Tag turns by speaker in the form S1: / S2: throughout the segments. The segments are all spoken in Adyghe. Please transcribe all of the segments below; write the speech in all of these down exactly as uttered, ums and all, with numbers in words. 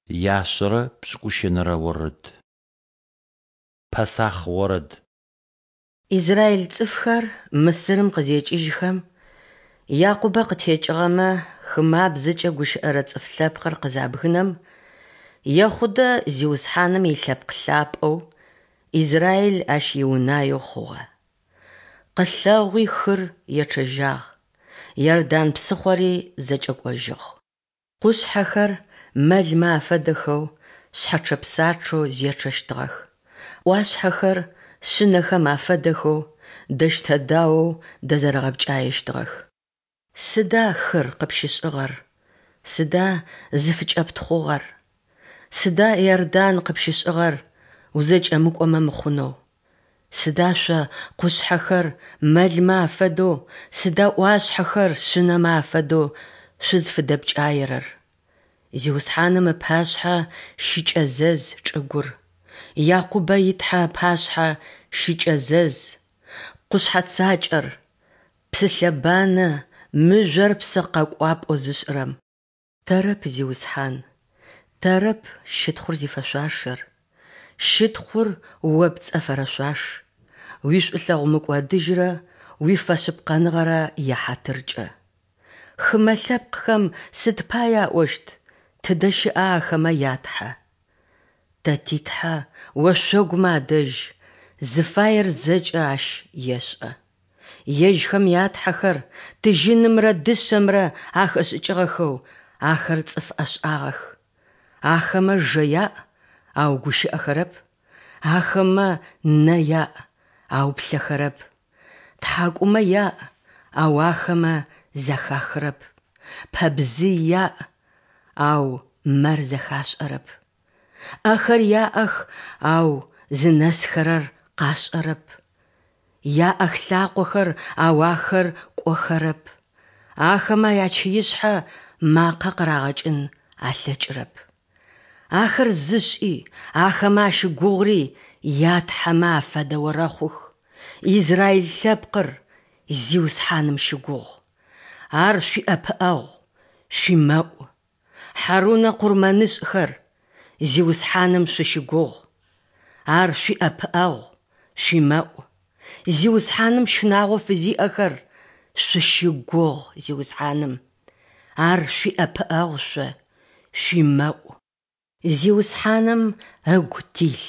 S1: Яшъэрэ пшӏыкӏущэнэрэ орэд. Пэсахъ орэд.
S2: Израиль цӏыфхэр Мысырым къызекӏыжьхэм, Якъубэ къытекӏыгъэмэ хымабзэкӏэ гущыӏэрэ цӏыф лъэпкъыр къызабгынэм, Ехъудэ Зиусхьаным илъэпкъ лъапӏэу, Израиль Ащ иунаеу хъугъэ. Къылъэгъуи хыр ечъэжьагъ, Иордан псыхъори зэкӏэкӏожьыгъ. Къушъхьэхэр мэлмэ афэдэхэу шъхьэчъэ-псачъэу зечъэщтыгъэх, ӏуашъхьэхэр шъынэхэм афэдэхэу дэщтэ-даоу дэзэрэгъэпкӏаещтыгъэх. Сыда, хыр, къыпщышӏыгъэр, сыда зыфыкӏэптхъугъэр? Сыда, Иордан, къыпщышӏыгъэр узэкӏэмыкӏомэ мыхъунэу? Сыда шъо, къушъхьэхэр, мэлмэ афэдэу, сыда ӏуашъхьэхэр шъынэмэ афэдэу шъузфыдэпкӏаерэр? Зиусхьаным ыпашъхьэ щыкӏэзэз чӏыгур, Якъубэ и Тхьэ ыпашъхьэ щыкӏэзэз, къушъхьэ цакӏэр, псылъэбанэ мыжъор псы къэкӏуапӏэу зышӏырэм. Тэрэп, Зиусхьан, тэрэп щытхъур зифэшъуашэр, щытхъур О пцӏэ фэрэшъуаш, уишӏулъэгъу мыкӏодыжьрэ уифэшъыпкъэныгъэрэ яхьатыркӏэ. Хымэ лъэпкъхэм сыд пае аӏощт: Тыдэ щыӏа ахэмэ я Тхьэ? Тэ ти Тхьэ ошъогумэ адэжь, зыфаер зэкӏэ Ащ ешӏэ. Ежьхэм ятхьэхэр тыжьынымрэ дышъэмрэ ахэшӏыкӏыгъэхэу, ахэр цӏыф ӏэшӏагъэх. Ахэмэ жэ яӏ, ау гущыӏэхэрэп, ахэмэ нэ яӏ, ау плъэхэрэп, тхьакӏумэ яӏ, ау ахэмэ зэхахырэп, пэбзый яӏ, ау мэр зэхашӏэрэп. ӏэхэр яӏэх, ау зынэсхэрэр къашӏэрэп, яӏэх лъакъохэр, ау ахэр кӏохэрэп, ахэмэ ячыишъхьэ макъэ къырагъэкӏын алъэкӏырэп. Ахэр зышӏи, ахэмэ ащыгугъыри ятхьэмэ афэдэ орэхъух. Израиль лъэпкъыр, Зиусхьаным щыгугъ! Ар шъуиӏэпыӏэгъу, шъуимэӏу. Хьарунэ къурмэнышӏхэр, Зиусхьаным шъущыгугъ! Ар шъуиӏэпыӏэгъу, шъуимэӏу. Зиусхьаным щынагъо фызиӏэхэр, шъущыгугъ Зиусхьаным! Ар шъуиӏэпыӏэгъу шъо, шъуимэӏу. Зиусхьаным ыгу тилъ,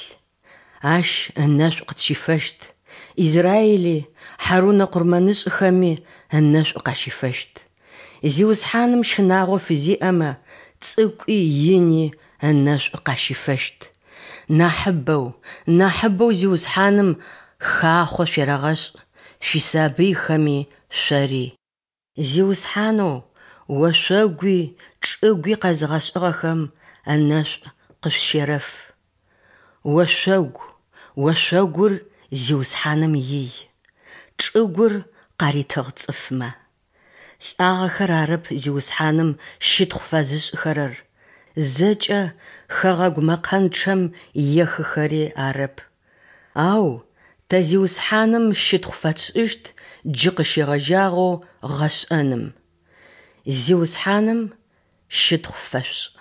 S2: Ащ ынэшӏу къытщифэщт, Израили, Хьарунэ къурмэнышӏхэми ынэшӏу къащифэщт. Зиусхьаным щынагъо фызиӏэмэ, цӏыкӏуи ини ынэшӏу къащифэщт. Нахьыбэу, нахьыбэу Зиусхьаным хахъо шъуерэгъэшӏ, шъуисабыйхэми шъори. Зиусхьанэу ошъогуи чӏыгуи къэзыгъэшӏыгъэхэм ынэшӏу къышъущерэф. Ошъогу, ошъогур Зиусхьаным ий, чӏыгур къаритыгъ цӏыфмэ. Лӏагъэхэр арэп Зиусхьаным щытхъу фэзышӏхэрэр, зэкӏэ хэгъэгу мэкъэнчъэм ехыхэри арэп. Ау тэ Зиусхьаным щытхъу фэтшӏыщт джы къыщегъэжьагъэу гъэшӏэным. Зиусхьаным щытхъу фэшъушӏ!